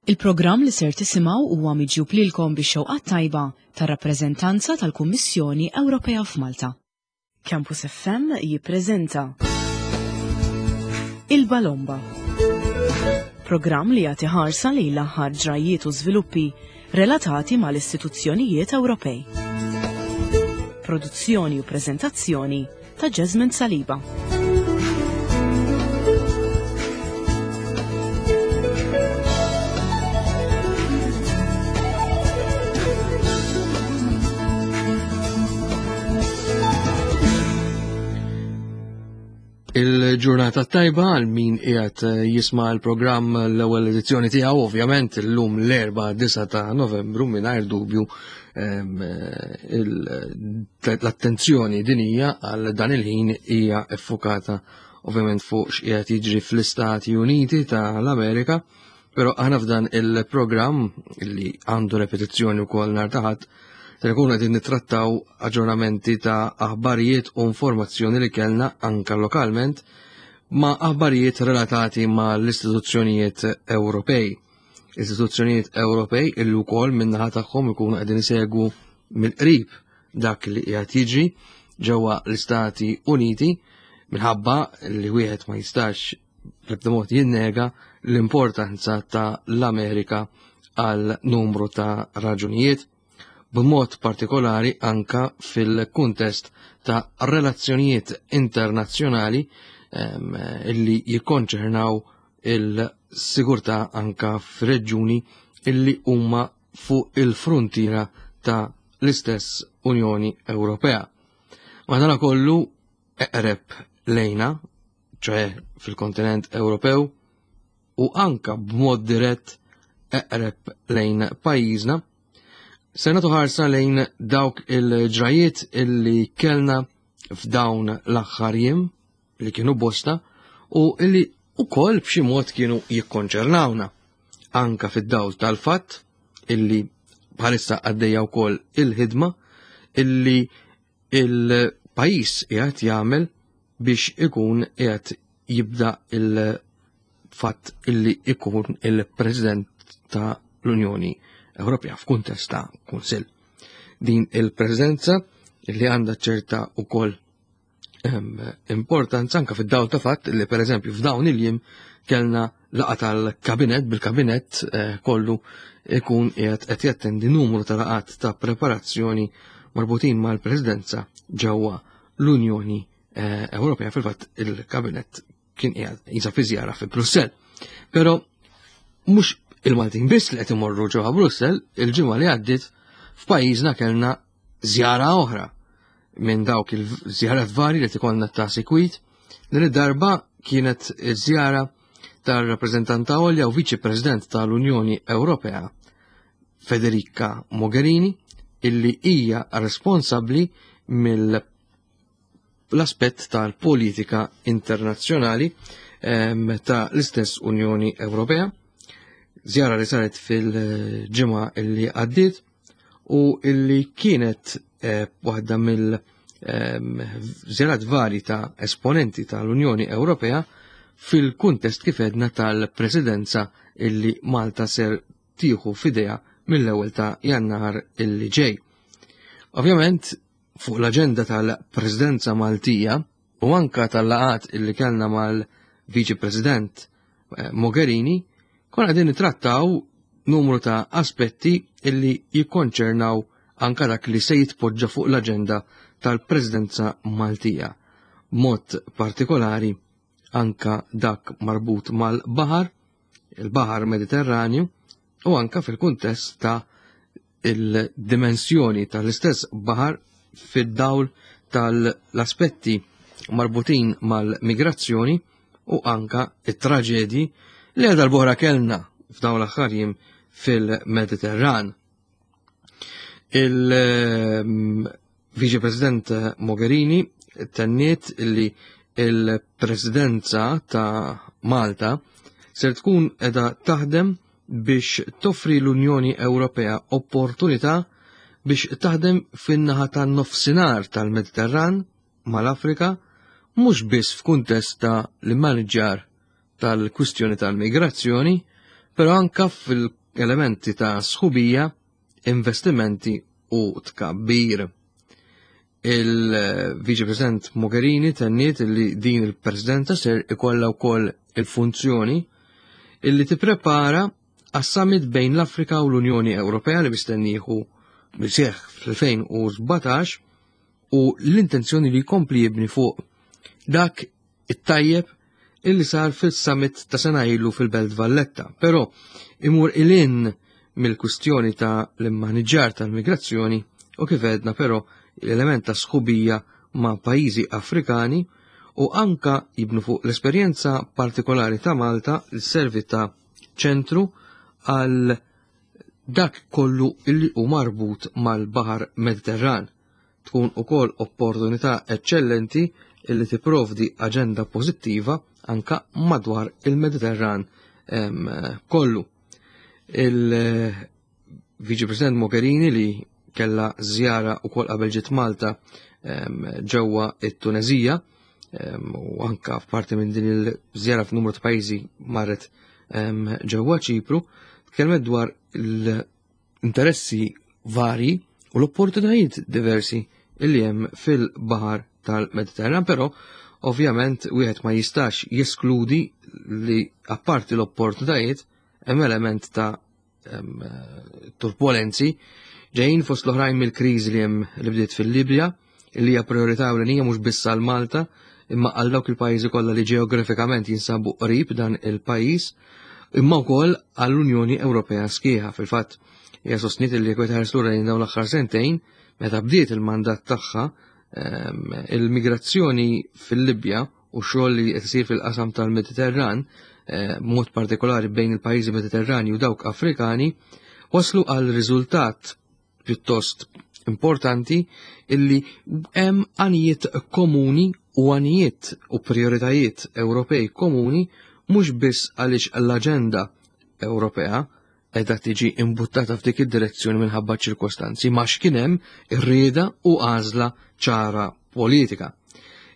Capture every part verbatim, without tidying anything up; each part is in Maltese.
Il-programm li ser tisimgħu huwa miġjub lilkom bix-xewqat tajba tar-rappreżentanza tal-Kummissjoni Ewropea f'Malta. Campus F M jippreżenta Il-Balomba. Programm li jagħti ħarsa lejn l-aħħar ġrajiet u żviluppi relatati mal-istituzzjonijiet Ewropej. Produzzjoni u preżentazzjoni ta' Jasmine Saliba. Il-ġurnata tajba għal min qiegħed jisma' l-programm l-ewwel edizzjoni tiegħu, ovvjament illum l-Erbgħa disgħa ta' Novembru. Mingħajr dubju l-attenzjoni dinija għal dan il-ħin hija effukata ovvjament fuq x'qiegħed jiġri fl-Istati Uniti tal-Amerika, però aħna f'dan il-programm li għandu repetizzjoni wkoll nhar ta' Ħadd se nkunu qegħdin nittrattaw aġġornamenti ta' aħbarijiet u informazzjoni li kellna anka lokalment ma' aħbarijiet relatati ma' l-istituzzjonijiet Ewropej. Istituzzjonijiet Ewropej illi wkoll min-naħa tagħhom ikunu qegħdin isegwu mill-qrib dak li qiegħed jiġri ġewwa l-Istati Uniti, minħabba li wieħed ma jistax bl-ebda mod jinnega l-importanza ta' l-Amerika għal numru ta' raġunijiet, b'mod partikolari anka fil-kuntest ta' relazzjonijiet internazzjonali illi jikkonċernaw il-sigurtà anka f'reġjuni illi huma fuq il-frontiera ta' l-istess Unjoni Ewropea. Madana kollu eqreb lejna, ċoħe fil-kontinent Ewropew, u anka b'mod dirett eqreb lejn pajjiżna, se nagħtu ħarsa lejn dawk il-ġrajiet illi kellna f'dawn l-aħħar jiem li kienu bosta u illi ukoll b'xi mod kienu jikkonċernawna anka fid-dawl tal-fatt illi bħalissa għaddejja wkoll il-ħidma illi il-pajjiż qiegħed jagħmel biex ikun qiegħed jibda il-fatt illi ikun il-President ta' l-Unjoni Ewropea f'kuntest ta' Kunsill. Din il-preżenza li għandha ċerta wkoll importanza anka fid-dawl ta' fatt li pereżempju f'dawn il-jiem kellna laqgħa tal-kabinet, bil-kabinet eh, kollu ikun qiegħed qed jattendi numru ta' laqgħat ta' preparazzjoni marbutin mal-Presidenza ġewwa l-Unjoni eh, Ewropea. Fil-fatt il-kabinet kien qiegħed jinsab fi żjara fi Brussell. Però mhux il-Maltin biss li qed imorru ġewwa Brussell, il-ġimgħa li għaddiet f'pajjiżna kellna żjara oħra minn dawk il-żjarat vari li tkollna ta' sikwit. Din id-darba kienet iż-żjara tar-rappreżentanta għolja u Viċi President tal-Unjoni Ewropea Federica Mogherini, illi hija responsabbli mill l-aspett tal-politika internazzjonali ehm, ta' l-istess Unjoni Ewropea. Żjara li saret fil-ġimgħa illi għaddiet u illi kienet eh, waħda mill ehm, żjarat vari ta' esponenti tal-Unjoni Ewropea fil-kuntest kif edna tal-presidenza illi Malta ser tieħu f'idejha mill-ewwel ta' Jannar illi ġej. Ovvjament, fuq l-aġenda tal-Presidenza Maltija u anka tal-laqat illi kellna mal-Viċi President eh, Mogherini, konna qegħdin nittrattaw numru ta' aspetti illi jikkonċernaw anka dak li se jitpoġġa fuq l-aġenda tal-Presidenza Maltija. Mod partikolari anka dak marbut mal-baħar, il-Baħar Mediterranju, u anka fil-kuntest ta' il-dimensjoni tal-istess baħar fid-dawl tal-aspetti marbutin mal-migrazzjoni u anka it-traġedji li għal darb'oħra kellna f'dawn l-aħħar jiem fil-Mediterran. Il-Viċi President Mogherini tenniet li il-Presidenza ta' Malta ser tkun edha taħdem biex toffri l-Unjoni Ewropea opportunità biex taħdem fin-naħa tan-nofsinhar tal-Mediterran mal-Afrika, mhux biss f'kuntest ta' l-immaniġġar tal-kwistjoni tal-migrazzjoni, però anka fil-elementi ta' sħubija, investimenti u tkabbir. Il-Viċi President Mogherini tenniet li din il-Presidenza ser ikollha wkoll il-funzjoni illi tipprepara għas-summit bejn l-Afrika u l-Unjoni Ewropea li mistenni jieħu jseħħ fl-elfejn u sbatax u l-intenzjoni li jkompli jibni fuq dak it-tajjeb illi sar fil-summit ta' sena ilu fil-Belt Valletta, però imur ilin mill-kwistjoni ta' l-immaniġġar tal-migrazzjoni u kif għedna però l-element ta' sħubija ma' pajjiżi Afrikani u anka jibnu fuq l-esperjenza partikolari ta' Malta li servi ta' ċentru għal dak kollu illi hu marbut mal-Baħar Mediterran. Tkun ukoll opportunità eċċellenti illi tipprovdi aġenda pożittiva anka madwar il-Mediterran, em, kollu. Il-Viċi President Mogherini li kella żjara ukoll qabel ġiet Malta, em, ġewwa it-Tunezija, em, u anka f'parti minn din il-żjara f'numru ta' pajjiżi marret, em, ġewwa Ċipru, tkellmet dwar l-interessi vari u l-opportunitajiet diversi illi hemm fil-Baħar tal-Mediterran, però ovvjament wieħed ma jistax jeskludi li apparti l-opportunitajiet hemm element ta' em, turbulenzi ġejjin fost l-oħrajn mill-kriżi li hemm li bdiet fil-Libja, li hija priorità ewlenija mhux biss għal Malta, imma għal dawk il-pajjiżi kollha li ġeografikament jinsabu qrib dan il-pajjiż, imma wkoll għall-Unjoni Ewropea sħiħa. Fil-fatt, hija sostniet li jekk tħares lura lejn dawn l-aħħar sentejn, meta bdiet il-mandat tagħha, ehm, il-migrazzjoni fil-Libja u xogħol li qed isir fil-qasam tal-Mediterran, eh, b'mod partikolari bejn il-pajjiżi Mediterrani u dawk Afrikani, waslu għal riżultat pjuttost importanti illi hemm għanijiet komuni u għanijiet u prioritajiet Ewropej komuni mhux biss għaliex l-aġenda Ewropea qiegħda tiġi imbuttata f'dik id-direzzjoni minħabba ċirkostanzi, ma x'kien hemm ir-rieda u għażla ċara politika.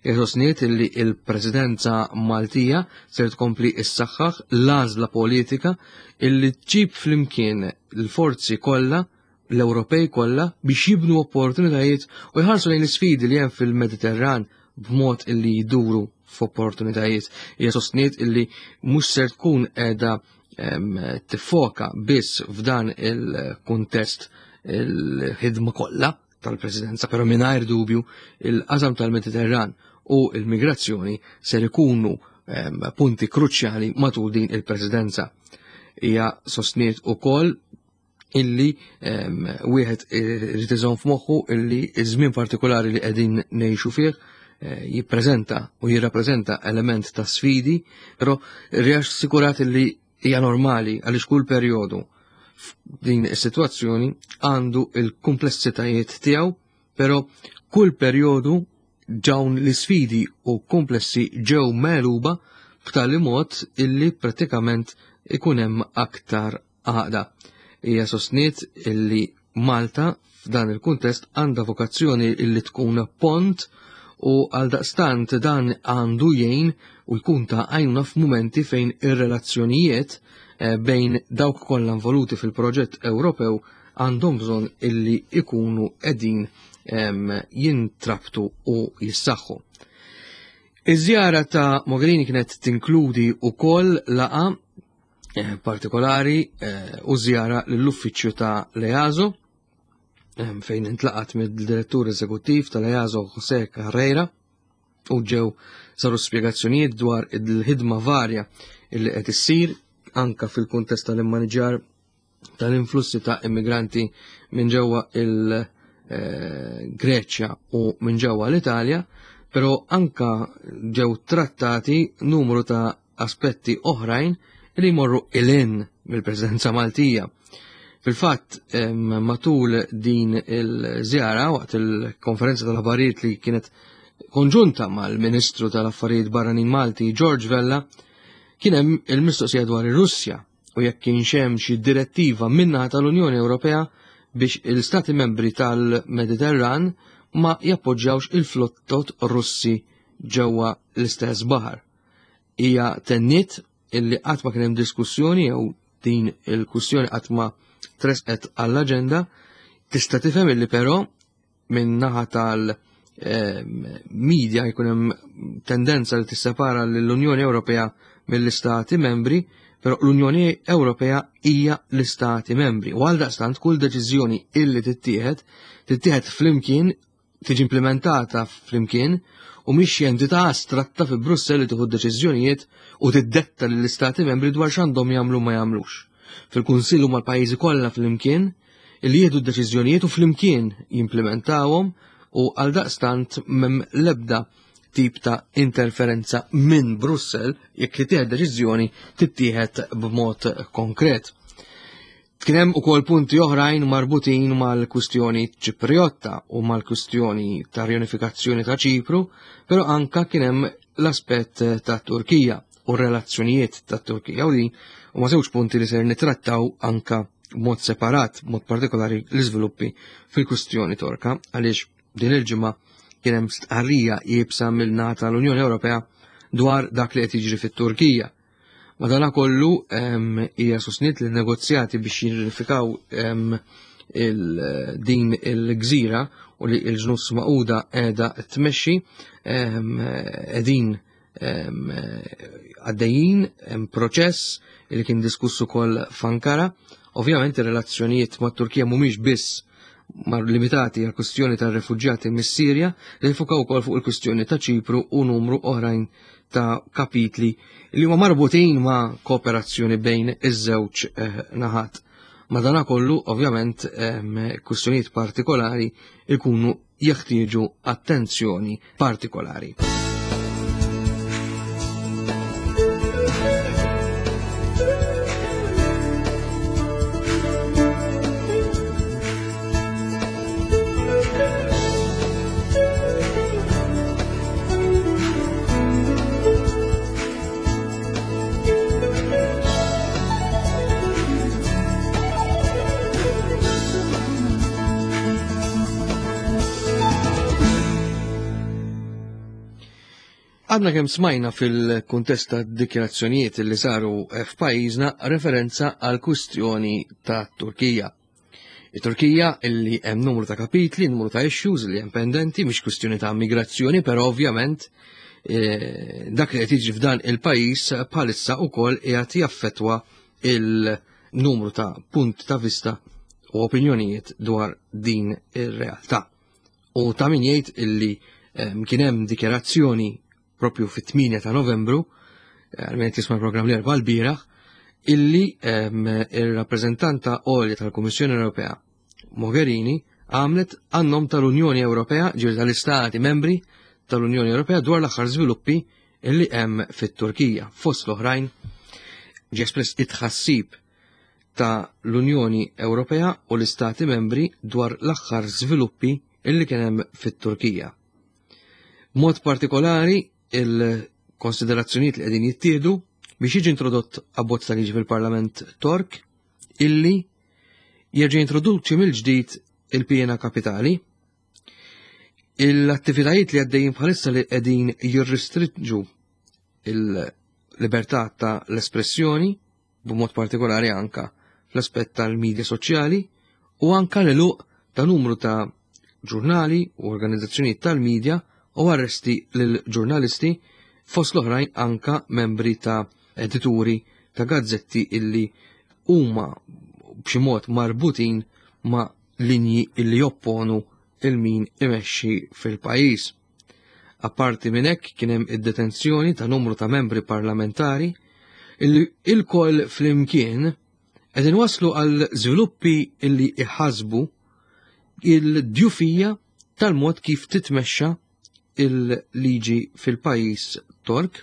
Sostniet illi il-Presidenza Maltija ser tkompli issaħħaħ l-għażla politika illi tġib flimkien l-forzi kollha, l-Ewropej kollha, biex jibnu opportunitajiet u jħarsu lejn l-isfidi li hemm fil-Mediterran b'mod illi jduru f'opportunitajiet. Hija sostniet illi mhux ser tkun qiegħda, em, tiffoka biss f'dan il-kuntest il-ħidma kollha tal-Presidenza, però mingħajr dubju il-qasam tal-Mediterran u il-migrazzjoni ser ikunu, em, punti kruċjali matul din il-Presidenza. Hija sostniet ukoll illi, em, wieħed irid iżomm f'moħħu illi iż-żmien partikolari li qegħdin ngħixu fih, eh, jippreżenta u jirrappreżenta element ta' sfidi, però riassikurat illi hija normali għaliex kull perjodu f'din is-sitwazzjoni għandu il-komplessitajiet tiegħu, però kull perjodu dawn l-isfidi u komplessi ġew megħluba b'tali mod illi pratikament ikun hemm aktar għaqda. Hija sostniet illi Malta f'dan il-kuntest għandha vokazzjoni illi tkun pont u għaldaqstant dan għandu jgħin u jkun ta' għajnuna f'mumenti fejn ir-relazzjonijiet, eh, bejn dawk kollha involuti fil-proġett Ewropew għandhom bżonn illi ikunu qegħdin, em, jintrabtu u jissaħħu. Iż-żjara ta' Mogherini kienet tinkludi wkoll laqa, eh, partikolari, eh, u żjara lill-uffiċċju ta' l-E A S O, em, fejn intlaqat mid-direttur eżekuttiv tal-E A S O José Carreira u ġew saru spjegazzjonijiet dwar il-ħidma varja illi qed issir anka fil-kuntest tal-immaniġjar tal-influssi ta' immigranti minn ġewwa il-Greċja u minn ġewwa l-Italja, però anka ġew trattati numru ta' aspetti oħrajn li jmorru ilin mill-Presidenza Maltija. Fil-fatt, em, matul din il-żjara, waqt il-konferenza tal-aħbarijiet li kienet konġunta mal-Ministru tal-Affarijiet Barranin Malti George Vella, kien hemm il-mistoqsija dwar ir-Russja u jekk kienx hemm xi direttiva min-naħa tal-Unjoni Ewropea biex il-Stati membri tal-Mediterran ma jappoġġjawx il-flottot Russi ġewwa l-istess baħar. Hija tenniet illi qatt ma kien hemm diskussjoni jew Din il-kwistjoni qatt ma tresqet għall-aġenda. Tista' tifhem illi però minn naħa tal-media jkun hemm tendenza li tissepara l-Unjoni Ewropea mill-Istati Membri, però l-Unjoni Ewropea hija l-Istati Membri. U għaldaqstant kull deċiżjoni illi tittieħed tittieħed flimkien, tiġi implementata flimkien, u mhix entità astratta fi Brussell li tieħu deċiżjonijiet u tiddetta lill-Istati Membri dwar x'għandhom jagħmlu ma jagħmlux. Fil-Kunsill huma l-pajjiżi kollha flimkien illi jieħdu d-deċiżjonijiet u flimkien jimplementawhom, u għaldaqstant m'hemm l-ebda tip ta' interferenza minn Brussell jekk li tieħed deċiżjoni tittieħed b'mod konkret. Kien hemm ukoll punti oħrajn marbutin mal-kwistjoni Ċipriotta u mal-kwistjoni ta' riunifikazzjoni ta' Ċipru, però anka kien hemm l-aspett ta' Turkija u r-relazzjonijiet ta' Turkija, u din huma żewġ punti li ser nitrattaw anka b'mod separat, b'mod partikolari l-iżviluppi fil-kwistjoni Torka, għaliex din il-ġimgħa kien hemm stqarrija iebsa mill-naħa tal-Unjoni Ewropea dwar dak li qed jiġri fit-Turkija. Madanakollu hija sostniet li negozjati biex jirrifikaw din il-gżira u li l-ġnus Magħquda qiegħda tmexxi qegħdin għaddejjin hemm proċess li kien diskuss ukoll f'Ankara. Ovvjament ir-relazzjonijiet mat-Turkija mhumiex biss mar limitati għal kwistjoni tar-refuġjati mis-Sirja, li jfukaw ukoll fuq il-kwistjoni ta' Ċipru u numru oħrajn ta' kapitli li huma marbutin ma' kooperazzjoni bejn iż-żewġ naħat. Madanakollu, ovvjament, kwistjonijiet partikolari ikunu jeħtieġu attenzjoni partikolari. Għadna kemm smajna fil-kuntest ta' dikjarazzjonijiet li saru f'pajjiżna referenza għal kwistjoni ta' Turkija. Il-Turkija illi hemm numru ta' kapitli, numru ta' issues li hemm pendenti, mhix kwistjoni ta' migrazzjoni, però ovvjament eh, dak li qed jiġri f'dan il-pajjiż bħalissa wkoll qiegħed jaffettwa il-numru ta' punti ta' vista u opinjonijiet dwar din ir-realtà. U ta' min jgħid illi eh, kien hemm dikjarazzjoni propju fit-tmienja ta' Novembru, għal-min jisma' l-programm l-erba' l-bieraħ, illi il-rappreżentanta għolja tal-Kummissjoni Ewropea, Mogherini, għamlet għan-nom tal-Unjoni Ewropea, ġifieri tal-Istati membri tal-Unjoni Ewropea, dwar l-aħħar żviluppi illi hemm fit-Turkija. Fost l-oħrajn ġie espress it-tħassib ta' l-Unjoni Ewropea u l-Istati membri dwar l-aħħar żviluppi illi kien hemm fit-Turkija. Mod partikolari il-konsiderazzjonijiet li qegħdin jittieħdu biex jiġi introdott abbozz ta' liġi fil-Parlament Tork illi jerġa' jintroduċi mill-ġdid il-pena kapitali, l-attivitajiet li għaddejjin bħalissa li qegħdin jirrestrinġu il-libertà ta' l-espressjoni, b'mod partikolari anka fl-aspett tal-medja soċjali, u anka l-għeluq ta' numru ta' ġurnali u organizzazzjonijiet tal-medja u arresti lil-ġurnalisti, fost l-oħrajn anka membri ta' edituri ta' gazzetti illi huma b'xi mod marbutin ma' linji illi jopponu il-min imexxi fil-pajjiż. Apparti minn hekk kien hemm id-detenzjoni ta' numru ta' membri parlamentari illi ilkoll flimkien qegħdin waslu għal żviluppi illi iħasbu il-djufija tal-mod kif titmexxa il-liġi fil-pajjiż Tork,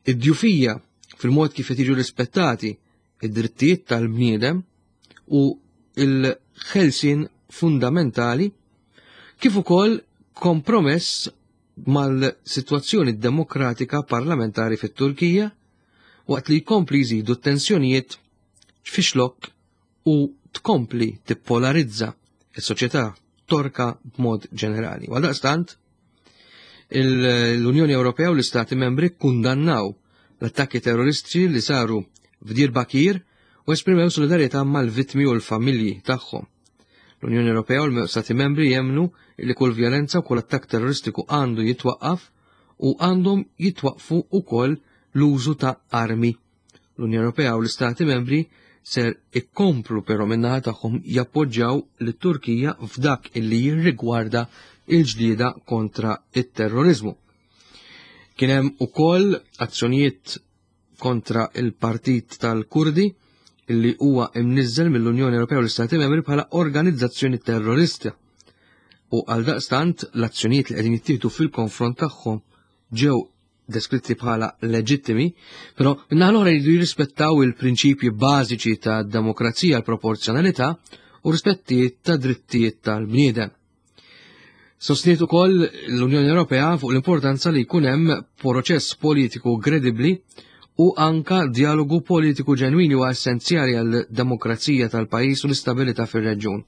id-djufija fil-mod kif qed jiġu rispettati id-drittijiet tal-bniedem u il-ħelsien fundamentali, kif ukoll kompromess mal-sitwazzjoni demokratika parlamentari fit-Turkija waqt li jkompli jżidu t-tensjonijiet fixlok u tkompli tippolarizza s-soċjetà Torka b'mod ġenerali. Għaldaqstant, l-Unjoni Ewropea u l-Istati Membri kkundannaw l-attakki terroristiċi li saru f'Diyarbakir u esprimew solidarjetà mal-vittmi u l-familji tagħhom. L-Unjoni Ewropea u l-Stati Membri jemmnu li kull vjolenza u kull attakk terroristiku għandu jitwaqqaf u għandhom jitwaqfu ukoll l-użu ta' armi. L-Unjoni Ewropea u l-Istati Membri ser ikkomplu però min-naħa tagħhom jappoġġjaw lit-Turkija f'dak illi jirrigwarda il-ġlieda kontra it-terrorizmu. Kien hemm ukoll azzjonijiet kontra il-Partit tal-Kurdi illi huwa imniżżel mill-Unjoni Ewropea u l-Istati Membri bħala organizzazzjoni terrorista. U għal daqstant l-azzjonijiet li qegħdin jittieħdu fil-konfront tagħhom ġew deskritti bħala leġittimi, però min-naħa l-oħra jridu jirrispettaw il-prinċipji bażiċi ta' demokrazija, l-proporzjonalità u rispettijiet ta' drittijiet tal-bniedem. Sostniet ukoll l-Unjoni Ewropea fuq l-importanza li jkun hemm proċess politiku kredibbli u anka dialogu politiku ġenwini u essenzjali għal demokrazija tal-pajjiż u l-istabilità fir-reġjun.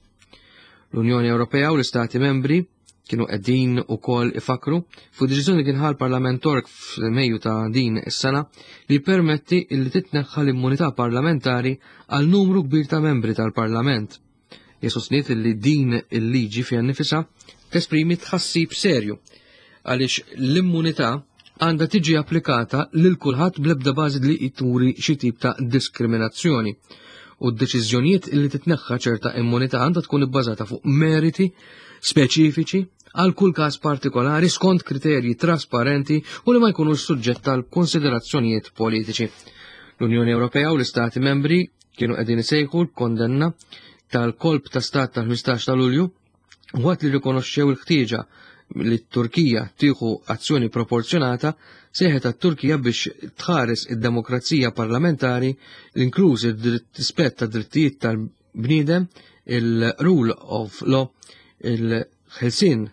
L-Unjoni Ewropea u l-Istati Membri kienu qegħdin ukoll ifakru fuq deċiżjoni kien ħa l-Parlament Tork f'Mejju ta' din is-sena li permetti li titneħħa l-immunità parlamentari għal numru kbir ta' membri tal-Parlament. Sostniet li din il-liġi fiha nifisha tesprimi tħassib serju għaliex l-immunità għandha tiġi applikata lil kulħadd bl-ebda bażi li turi xi tip ta' diskriminazzjoni. U d-deċiżjonijiet li titneħħa ċerta immunità għandha tkun ibbażata fuq meriti speċifiċi għal kull każ partikolari skont kriterji trasparenti u li ma jkunux suġġett tal konsiderazzjonijiet politiċi. L-Unjoni Ewropea u l-Istati Membri kienu qegħdin isejħu l-kondenna tal-kolp ta' stat tal-ħmistax ta' Lulju waqt li rikonoxxew il-ħtieġa li t-Turkija tieħu azzjoni proporzjonata, seħet għat-Turkija biex tħares id-demokrazija parlamentari, l-inkluż ir-rispett ta' drittijiet tal-bniedem, il-rule of law, il-ħelsien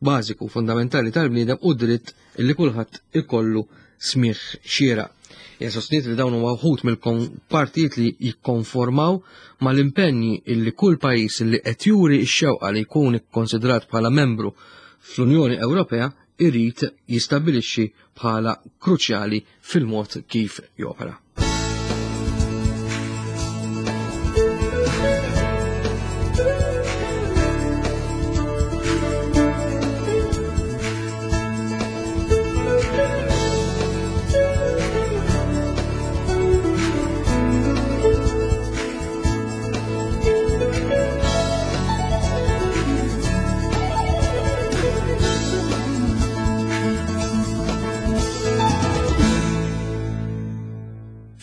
bażiku fundamentali tal-bniedem u dritt li kulħadd ikollu smigħ xieraq. Hija sostniet li dawn huma wħud mill-partijiet li jikkonformaw mal-impenji illi kull pajjiż li qed juri x-xewqa li jkun ikkonsidrat bħala membru fl-Unjoni Ewropea irid jistabbilixxi bħala kruċjali fil-mod kif jopera.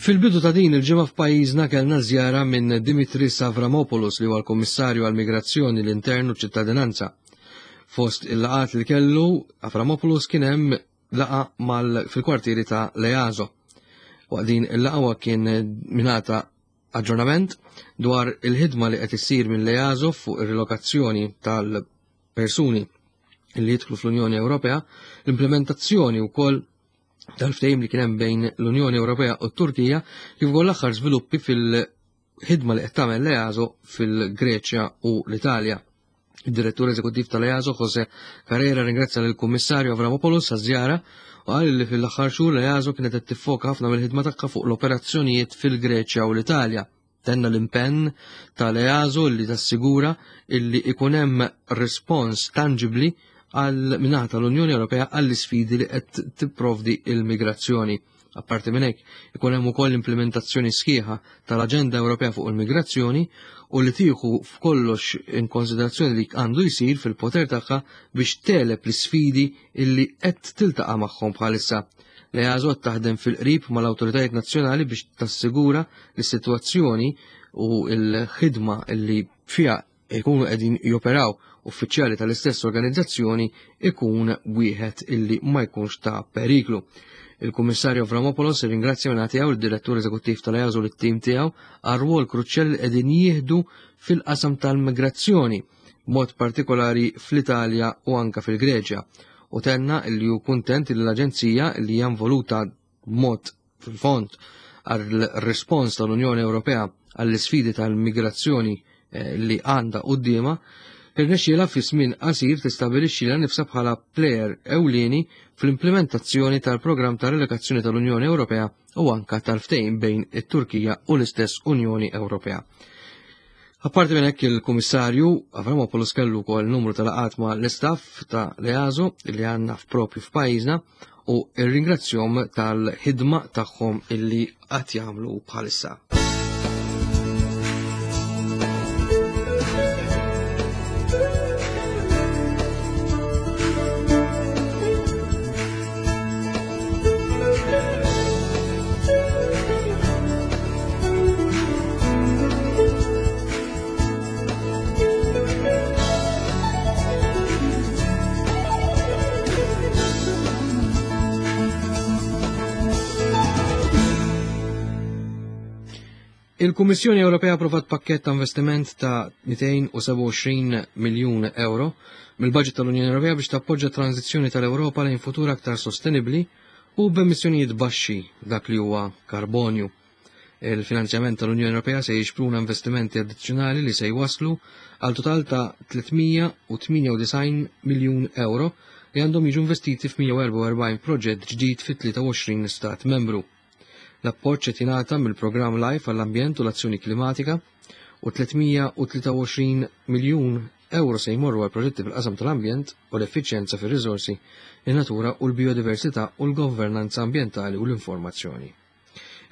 Fil-bidu ta' din il-ġimgħa f'pajjiżna kellna żjara minn Dimitris Avramopoulos li huwa l-Kummissarju għall-Migrazzjoni, l-Intern u ċ-Ċittadinanza. Fost il-laqgħat li kellu Avramopoulos kien hemm laqgħa mal fil-kwartieri ta' l-EASO. Waqt din il-laqgħa kien mingħata aġġornament dwar il-ħidma li qed issir minn l-EASO fuq ir-relokazzjoni tal-persuni li jidħlu fl-Unjoni Ewropea, l-implementazzjoni wkoll tal-ftehim li kien hemm bejn l-Unjoni Ewropea u t-Turkija, kif ukoll l-aħħar żviluppi fil-ħidma li qed tagħmel l-EASO fil-Greċja u l-Italja. Id-direttur eżekuttiv tal-EASO, Jose Carrera, ringrazzja lill-Kummissarju Avramopoulos għaż-żjara u qal li fil-aħħar xhur l-EASO kienet qed tiffoka ħafna mill-ħidma tagħha fuq l-operazzjonijiet fil-Greċja u l-Italja. Tenna l-impenn tal-EASO li tassigura illi ikun hemm rispons tangibli għal minnaħa tal-Unjoni Ewropea għall-isfidi li qed tipprovdi il-migrazzjoni. Apparti minn hekk, ikun hemm ukoll implementazzjoni sħiħa tal-Aġenda Ewropea fuq il-migrazzjoni u li tieħu f'kollox in konsiderazzjoni li għandu jsir fil-poter tagħha biex teleb l-isfidi illi qed tiltaqa' magħhom bħalissa. L-EASO taħdem fil-qrib mal-awtoritajiet nazzjonali biex tassigura li s-sitwazzjoni u l-ħidma illi fiha jkunu qegħdin joperaw uffiċjali tal-istess organizzazzjoni ikun wieħed illi ma jkunx ta' periklu. Il-Kummissarju Avramopoulos irringrazzja minn tiegħu il-Direttur Eżekuttiv tal-EASO u t-tim tiegħu għar rwol kruċjali li qegħdin jieħdu fil-qasam tal-migrazzjoni, b'mod partikolari fl-Italja u anka fil-Greċja. U tenna li hu kuntent li l-Aġenzija li hija involuta b'mod fil-fond għal-rispons tal-Unjoni Ewropea għall-isfidi tal-migrazzjoni eh, li għandha quddiemha Irnexxielha fi żmien qasir tistabbilixxi lilha nifsha bħala plejer ewlieni fl-implementazzjoni tal-programm ta' relokazzjoni tal-Unjoni Ewropea u anka tal-ftehim bejn it-Turkija u l-istess Unjoni Ewropea. Apparti minn hekk, il-Kummissarju Avramopoulos kellu wkoll numru ta' laqgħat ma' l-istaff ta' l-E A S O li għandna f'propju f'pajjiżna u rringrazzjahom tal-ħidma tagħhom illi qatt jagħmlu bħalissa. Il-Kummissjoni Ewropea approvat pakket ta' investiment ta' mitejn u sebgħa u għoxrin miljun euro mill-budget tal-Unjoni Ewropea biex tappoġġa tranzizzjoni tal-Ewropa lejn futur aktar sostenibli u b'emissjonijiet baxxi dak li huwa karbonju. Il-finanzjament tal-Unjoni Ewropea se jixpruna investimenti addizzjonali li se jwaslu għal total ta' tliet mija u tmienja u disgħin miljun euro li għandhom jiġu investiti f'mija u erbgħa u erbgħin proġett ġdid fi tlieta u għoxrin stat membru. L-appoġġ qed jingħata mill-programm LIFE għall-ambjent u l-azzjoni klimatika u tliet mija u tlieta u għoxrin miljun euro se jmorru għal proġetti fil-qasam tal-ambjent u l-effiċjenza fir-riżorsi, in-natura u l-biodiversità u l-governanza ambjentali u l-informazzjoni.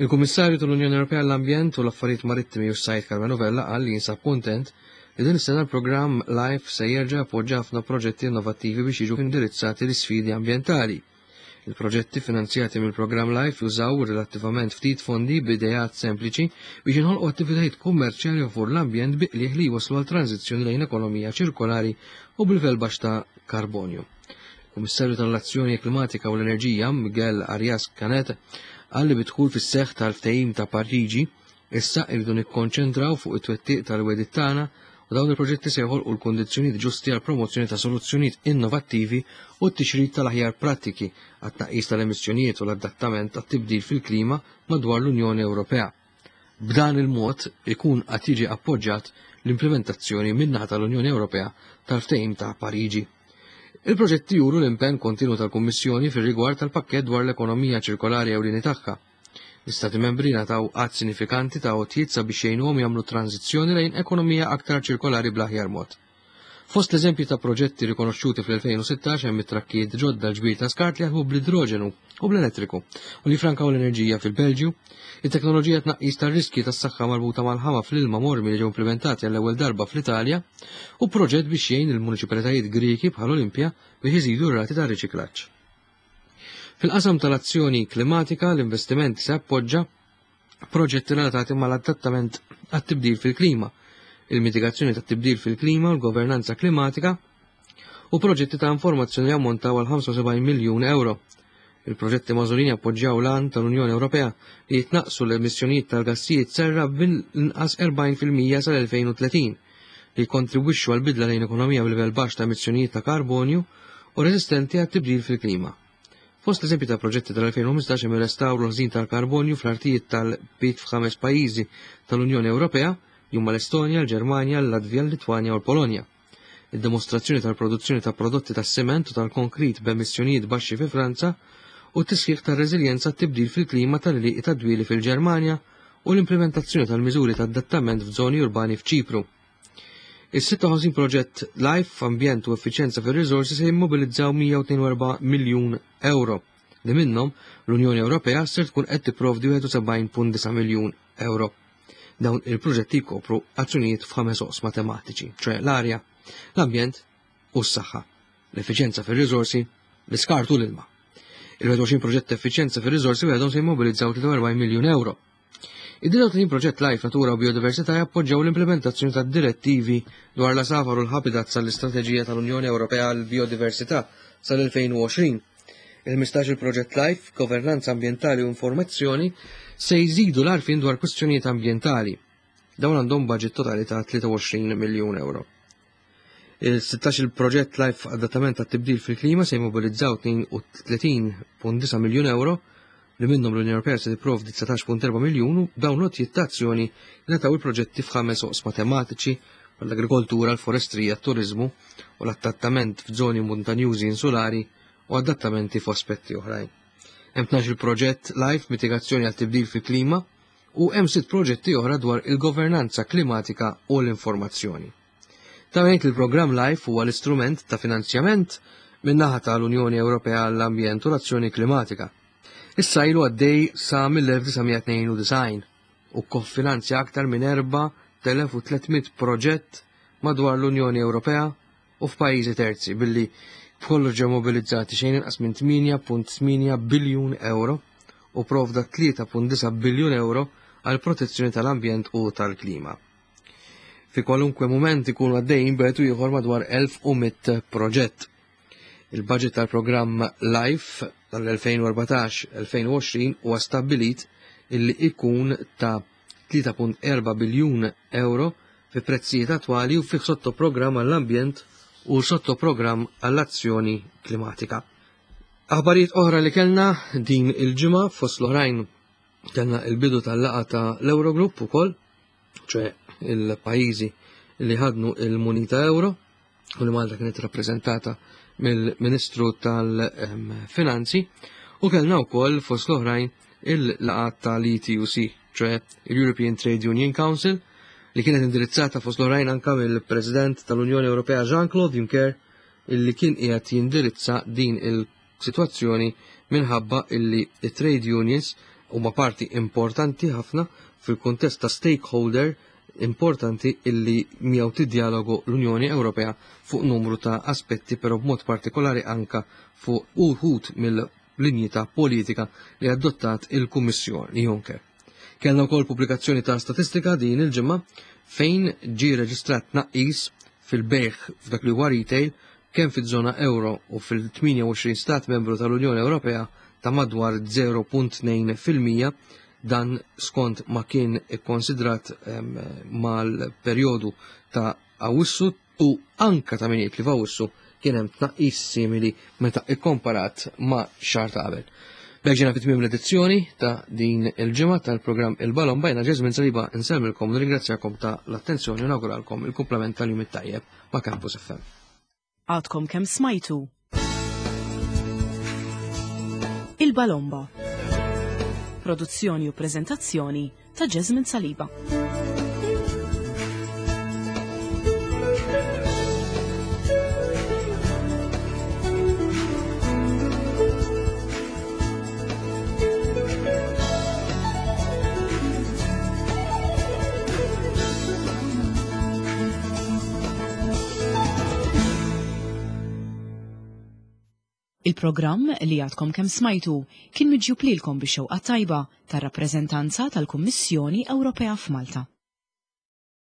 Il-Kummissarju tal-Unjoni Ewropea l-Ambjent u l-Affarijiet Marittimi u s-Sajd Karmenu Vella qal li jinsab kontent li din is-sena l-programm LIFE se jerġa' appoġġa ħafna proġetti innovattivi biex jiġu indirizzati l-isfidi ambjentali. Il-proġetti finanzjati mill-programm LIFE jużaw relattivament ftit fondi b'ideat sempliċi biex jinħolqu attivitajiet kummerċjali favur l-ambjent bi qligħ li jwaslu għal tranzizzjoni lejn ekonomija ċirkolari u b'livell baxx ta' karbonju. Kummissarju tal-Azzjoni Klimatika u l-Enerġija Miguel Arias Cañete qal li bid-dħul fis-seħħ tal-ftehim ta' Pariġi issa irridu nikkonċentraw fuq it-twettiq tal-wegħdiet tagħna u dawn il-proġetti se joħolqu l-kondizzjonijiet ġusti għal promozzjoni ta' soluzzjonijiet innovattivi u t-tixrid tal-aħjar prattiki għat-tnaqqis tal-emissjonijiet u l-adattament għat-tibdil fil-klima madwar l-Unjoni Ewropea. B'dan il-mod ikun qed jiġi appoġġjat l-implementazzjoni min-naħa tal-Unjoni Ewropea tal-ftehim ta' Pariġi. Il-proġetti juru l-impenn kontinu tal-Kummissjoni fir-rigward tal-pakkett dwar l-ekonomija ċirkolari ewlieni tagħha. L-Istati membri ngħataw għadd sinifikanti ta' għotjiet sabiex jgħinuhom jagħmlu tranzizzjoni lejn ekonomija aktar ċirkolari bl-aħjar mod. Fost l-eżempji ta' proġetti rikonoxxuti fl-elfejn u sittax hemm it-trakkijiet ġodda ġbir ta' skart li jaħdmu bl-idroġenu u bl-elettriku u li frankaw l-enerġija fil-Belġju, it-teknoloġija tnaqqis tar-riski tas-saħħa marbuta mal-ħama fl-ilma mormi li ġew implementati għall-ewwel darba fl-Italja u proġett biex jgħin il-municipalitajiet Griki bħal Olimpja biex iżidu r-rati ta' riċiklaġġ. Fil-qasam tal-azzjoni klimatika, l-investiment se appoġġa proġetti relatati mal-adattament għat-tibdil fil-klima, il-mitigazzjoni tat-tibdil fil-klima u l-governanza klimatika u proġetti ta' informazzjoni li ammontaw għal ħamsa u sebgħin miljun euro. Il-proġetti magħżulin jappoġġjaw l-għan tal-Unjoni Ewropea li jitnaqsu l-emissjonijiet tal-gassijiet serra bil-inqas erbgħin fil-mija sal-elfejn u tletin, li jkontribwixxu għal bidla lejn ekonomija b'livell baxx ta' emissjonijiet ta' karbonju u resistenti għat-tibdil fil-klima. Fost l-eżempji ta' proġetti tal-elfejn u ħmistax hemm ir-restawru ħżin tal-karbonju fl-artijiet tal-pit f'ħames pajjiżi tal-Unjoni Ewropea, huma l-Estonja, l-Ġermanja, l-Latvja, l-Litwanja u l-Polonja. Id-dimostrazzjoni tal-produzzjoni ta' prodotti tas-siment u tal-konkrit b'emissjonijiet baxxi fi Franza u t-tisħiħ tar-reżiljenza tibdil fil-klima tal-għelieqi tad-dwieli fil-Ġermanja u l-implementazzjoni tal-miżuri ta' adattament f'żoni urbani f'Ċipru. Is-sitta u ħamsin proġett LIFE Ambjent u Effiċjenza fir-Riżorsi se jimmobilizzaw mija u tnejn u erbgħin miljun euro li minnhom l-Unjoni Ewropea ser tkun qed tipprovdi wieħed u sebgħin punt disgħa miljun euro. Dawn il-proġetti jkopru azzjonijiet f'ħames oqsma tematiċi, ċoè l-arja, l-ambjent u s-saħħa, l-effiċjenza fir-riżorsi, l-iskart u l-ilma. Il-wieħed u għoxrin proġett effiċjenza fir-riżorsi waħedhom se jimmobilizzaw tlieta u erbgħin miljun euro. Id-disgħa u tletin proġett LIFE Natura u Biodiversità jappoġġjaw l-implementazzjoni ta' direttivi dwar l-għasafar u l-habitat sal-Istrateġija tal-Unjoni Ewropea għal Biodiversità sal-elfejn u għoxrin. Il-ħmistax il-proġett LIFE, Governanza Ambientali u Informazzjoni se jżidu l-għarfien dwar kwistjonijiet ambientali. Dawn għandhom budget totali ta' tlieta u għoxrin miljun euro. Il-sittax il-proġett LIFE Adattament għat-tibdil fil-klima se jmobilizzaw tnejn u tletin punt disgħa miljun euro li minnhom l-Unjoni Ewropea se tipprovdi dsatax punt erba' miljun u dawn l-għotjiet ta' azzjoni ngħataw il-proġetti f'ħames oqsma tematiċi l-agrikoltura, l-forestrija, t-turizmu u l-adattament f'żoni montanjużi insulari u adattamenti f'aspetti oħrajn. Hemm tnax-il proġett LIFE mitigazzjoni għal tibdil fil-klima u hemm sitt proġetti oħra dwar il-governanza klimatika u l-informazzjoni. Ta' il-programm LIFE huwa l-istrument ta' finanzjament min-naħa tal-Unjoni Ewropea għall-Ambjent u l-Azzjoni Klimatika. Issa ilu għaddej sa mill-elf disa' mija tnejn u disgħin u kkofinanzja aktar minn erba' telef u tliet mitt proġett madwar l-Unjoni Ewropea u f'pajjiżi terzi billi b'kollox ġew mobilizzati xejn inqas minn tmienja punt tmienja biljun euro u provda tlieta punt disa' biljun euro għal protezzjoni tal-ambjent u tal-klima. Fi kwalunkwe mument ikunu għaddejjin b'wieħed u ieħor madwar elf u mitt proġett. Il-budget tal-programm LIFE tal-elfejn u erbatax elfejn u għoxrin huwa stabbilit illi ikun ta' tlieta punt erba' biljun euro fi prezzijiet attwali u fih sottoprogramm għall-ambjent u sottoprogramm għall-azzjoni klimatika. Aħbarijiet oħra li kellna din il-ġimgħa fost l-oħrajn kellna il-bidu tal-laqgħa ta' l-Eurogroup ukoll, ċe il-pajjiżi li ħadnu il-munita euro u li Malta kienet rappreżentata mill-Ministru tal-Finanzi, u kellna wkoll fost l-oħrajn il-laqgħa tal-E T U C, ċe il-European Trade Union Council, li kienet indirizzata fost l-oħrajn anka mill-President tal-Unjoni Ewropea Jean-Claude Juncker, illi kien qiegħed jindirizza din il-sitwazzjoni minħabba illi trade unions huma parti importanti ħafna fil-kuntest ta' stakeholder importanti illi miegħu tiddialogu l-Unjoni Ewropea fuq numru ta' aspetti, però b'mod partikolari anka fuq uħud mill-linji ta' politika li adottat il-Kummissjoni Juncker. Kellna wkoll pubblikazzjoni ta' statistika din il-ġimgħa fejn ġie reġistrat tnaqqis fil-bejgħ f'dak li huwa retail kemm fiż-żona euro u fil-tmienja u għoxrin stat membru tal-Unjoni Ewropea ta' madwar zero punt tnejn fil-mija, dan skont ma kien ikkonsidrat, ehm, mal-perjodu ta' Awwissu u anka ta' min jgħid li f'Awwissu kien hemm tnaqqis simili meta ikkomparat ma' xahar ta' qabel. B'hekk ġejna fi tmiem l-edizzjoni ta' din il-ġimgħa tal-programm Il-Balomba. Jiena Jesmond Saliba nsellmilkom u nirringrazzjakom ta' l-attenzjoni u nawguralkom il-kumplament tal-jum it-tajjeb ma' Campus F M. Għadkom kemm smajtu Il-Balomba. Produzzjoni u preżentazzjoni ta' Jesmond Saliba. Il-programm li għadkom kemm smajtu kien miġjub lilkom bix-xewqa tajba tar-rappreżentanza tal-Kummissjoni Ewropea f'Malta.